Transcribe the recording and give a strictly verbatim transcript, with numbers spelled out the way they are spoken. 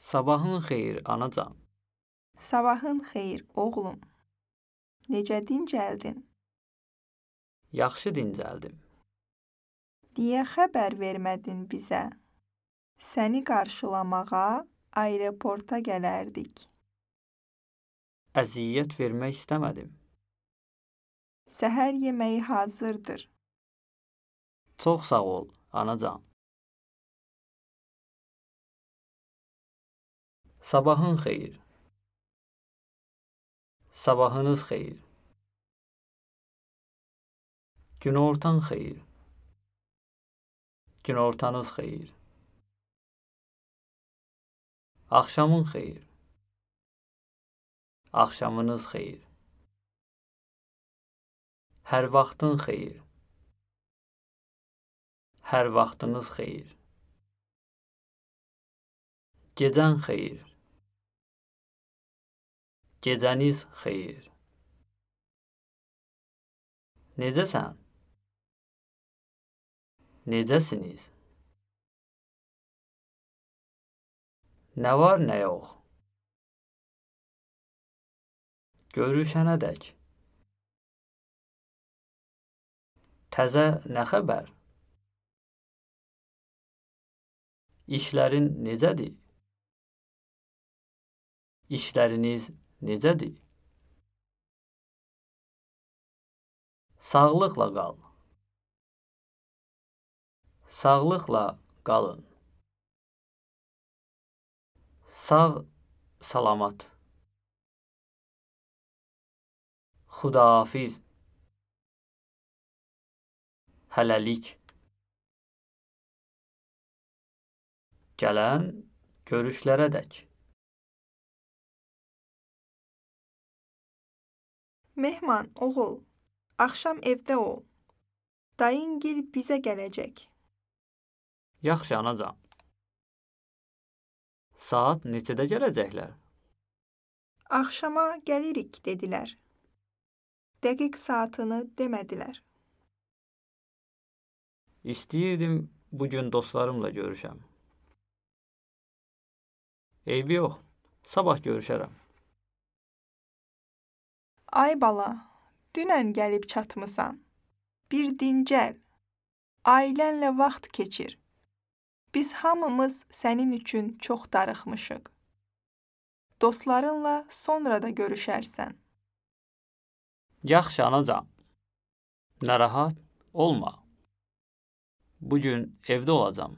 Sabahın xeyir, anacan. Sabahın xeyir, oğlum. Necə dincəldin? Yaxşı dincəldim. Niyə xəbər vermədin bizə? Səni qarşılamağa aeroporta gələrdik. Əziyyət vermək istəmədim. Səhər yeməyi hazırdır. Çox sağ ol, anacan. Sabahın xeyir. Sabahınız xeyir. Günortan xeyir. Günortanız xeyir. Axşamın xeyir. Axşamınız xeyir. Hər vaxtın xeyir. Hər vaxtınız xeyir. Gecən xeyir. Gecəniz xeyir. Necəsən? Necəsiniz? Nə var, nə yox? Görüşənədək. Təzə nə xəbər? İşlərin necədir? İşləriniz necədir? Sağlıqla qal. Sağlıqla qalın. Sağ, salamat. Xudahafiz. Hələlik. Gələn görüşlərədək. Mehman, oğul, axşam evdə ol. Dayıngil bizə gələcək. Yaxşı, anacan. Saat neçədə gələcəklər? Axşama gəlirik, dedilər. Dəqiq saatını demədilər. İstəyirdim bugün dostlarımla görüşəm. Eybi yox, sabah görüşərəm. Ay bala, dünən gəlib çatmısan. Bir dincəl, ailənlə vaxt keçir. Biz hamımız sənin üçün çox darıxmışıq. Dostlarınla sonra da görüşərsən. Yaxşı, anacan. Narahat olma. Bugün evdə olacam.